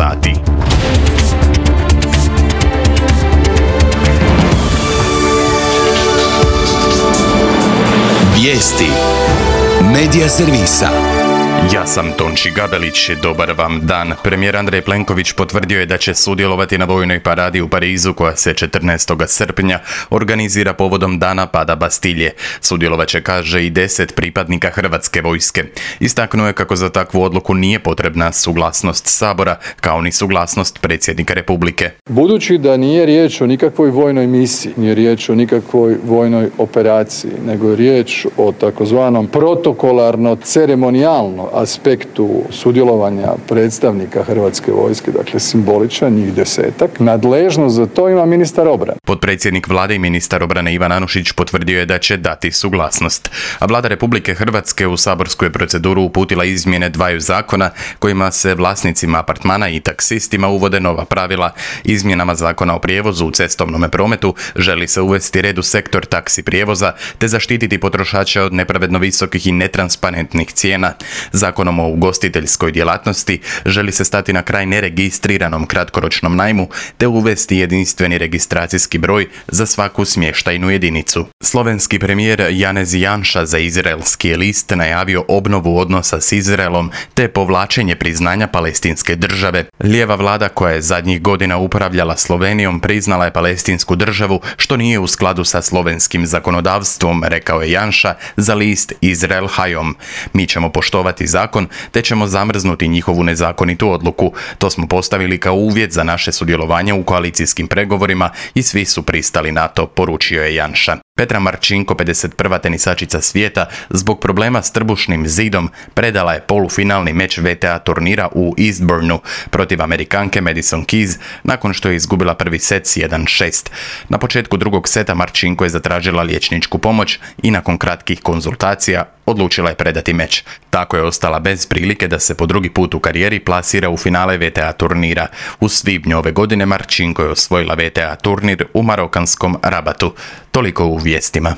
sati. Vijesti Medija servisa. Ja sam Tonči Gabelić, dobar vam dan. Premijer Andrej Plenković potvrdio je da će sudjelovati na vojnoj paradi u Parizu koja se 14. srpnja organizira povodom dana pada Bastilje. Sudjelovat će, kaže, i 10 pripadnika Hrvatske vojske. Istaknuo je kako za takvu odluku nije potrebna suglasnost Sabora, kao ni suglasnost predsjednika Republike. Budući da nije riječ o nikakvoj vojnoj misiji, nije riječ o nikakvoj vojnoj operaciji, nego je riječ o takozvanom protokolarno-ceremonijalno aspektu sudjelovanja predstavnika Hrvatske vojske, dakle simboličan, njih 10-ak. Nadležnost za to ima ministar obrane. Potpredsjednik vlade i ministar obrane Ivan Anušić potvrdio je da će dati suglasnost. A vlada Republike Hrvatske u saborsku je proceduru uputila izmjene dvaju zakona kojima se vlasnicima apartmana i taksistima uvode nova pravila. Izmjenama Zakona o prijevozu u cestovnom prometu želi se uvesti red u sektor taksi prijevoza te zaštititi potrošače od nepravedno visokih i netransparentnih cijena. Zakonom o ugostiteljskoj djelatnosti želi se stati na kraj neregistriranom kratkoročnom najmu te uvesti jedinstveni registracijski broj za svaku smještajnu jedinicu. Slovenski premijer Janez Janša za izraelski je list najavio obnovu odnosa s Izraelom te povlačenje priznanja palestinske države. Lijeva vlada koja je zadnjih godina upravljala Slovenijom priznala je palestinsku državu što nije u skladu sa slovenskim zakonodavstvom, rekao je Janša za list Izrael Hayom. Mi ćemo poštovati zakon te ćemo zamrznuti njihovu nezakonitu odluku. To smo postavili kao uvjet za naše sudjelovanje u koalicijskim pregovorima i svi su pristali na to, poručio je Janša. Petra Marčinko, 51. tenisačica svijeta, zbog problema s trbušnim zidom predala je polufinalni meč VTA turnira u Eastbournu protiv Amerikanke Madison Keys nakon što je izgubila prvi set s 1-6. Na početku drugog seta Marčinko je zatražila liječničku pomoć i nakon kratkih konzultacija odlučila je predati meč. Tako je ostala bez prilike da se po drugi put u karijeri plasira u finale VTA turnira. U svibnju ove godine Marčinko je osvojila VTA turnir u marokanskom Rabatu. Toliko u vijestima.